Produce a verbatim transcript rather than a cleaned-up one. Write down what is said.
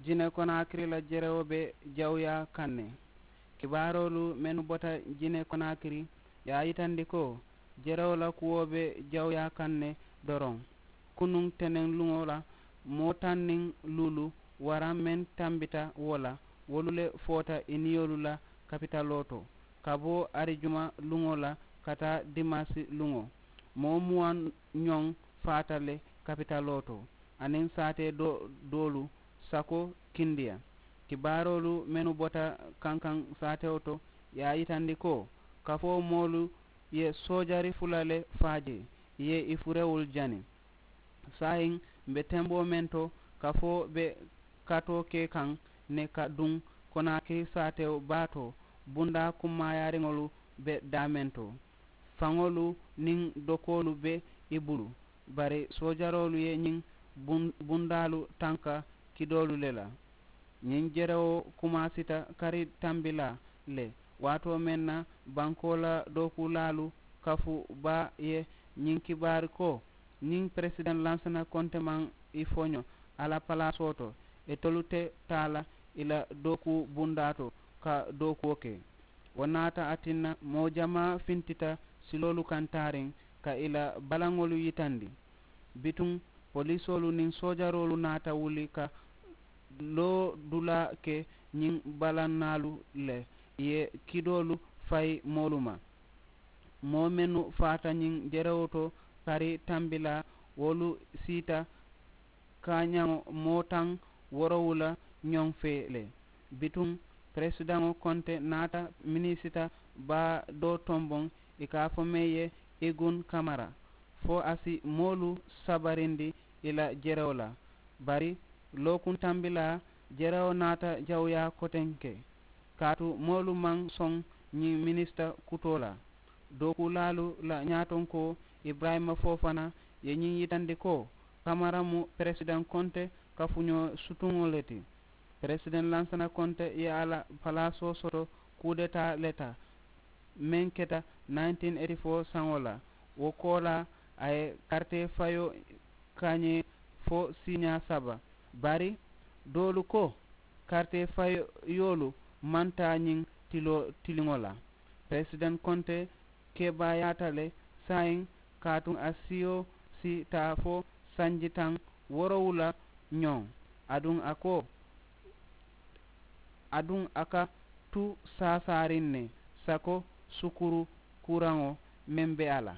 Jine konaakiri la jerewo be jawuyaa kaŋ ne. Kibaaroolu mennu bota jine konaakiri ye a yitandi ko jerewo la kuwo be jawuyaa kaŋ ne. Doroŋ kunuŋ teneŋ luŋo la moo taŋ niŋ luulu waraŋ meŋ tambita wo la wolu le foota i niyoolu la kapitaloo to ka bo arijuma luŋo la ka taa dimaasi luŋo. Moo muwaŋ ñoŋ faata le kapitaloo to aniŋ saatee doolu sako kindiya. Kibaaroolu mennu bota kankaŋ saatewo to ye a yitandi ko kafoo moolu ye soojari fula le faa jee ì ye ì furewolu jani. Saayiŋ m̀ be temboo meŋ to kafoo be katoo ke kaŋ ne ka duŋ konaakiri saatewo baa to bundaa kummaayaariŋolu be daameŋ to. Faŋolu niŋ dokoolu be i bulu bari soojaroolu ye ñiŋ bundaalu tanka kidoolu le la. Ñiŋ jerewo kumaasita kari tambilaa le waatoo meŋ na bankoo la dookuulaalu kafu baa ye ñiŋ kibaari ko ñiŋ peresidaŋ lansana konte maŋ i foño a la palaasoo to. Itolu te taa la i la dookuu bundaa to ka dookuwo ke. Wo naata a tinna moo jamaa fintita siloolu kaŋ taariŋ ka i la balaŋolu yitandi. Bituŋ polisoolu niŋ soojaroolu naata wuli ka loodulaa ke ñiŋ balannaalu le ì ye kidoolu fayi moolu ma. Moo mennu faata ñiŋ jerewo to kari tambilaa wolu siita kaañaŋo moo taŋ woorowula ñoŋ fee le. Bituŋ peresidaŋo konte naata minisita baa doo tomboŋ ì ka a fo meŋ ye igun kamara fo a si moolu sabarindi ì la jerewo la. Bari lookuŋ tambilaa jerewo naata jawuyaa kotenke kaatu moolu maŋ soŋ ñiŋ minisita kutoo la. Dookuulaalu la ñaatonkoo iburayima foofana ye ñiŋ yitandi ko kamara mu peresidaŋ konte kafuñoo sutuŋo le ti. Peresidaŋ lansana konte ye a la palaasoo soto kuudetaa le ta meŋ keta nineteen eighty four saŋo la. Wo koolaa a ye karitee fayoo kaañee fo siiñaa saba. Bari doolu ko karitee fayoolu maŋ taa ñiŋ tiloo tiliŋo la. Peresidaŋ konte kebaayaata le saayiŋ kaatuŋ a siyo si taa fo sanji taŋ woorowula ñoŋ. Aduŋ a ko aduŋ a ka tu saasaariŋ ne sako sukuru kuuraŋo meŋ be a la.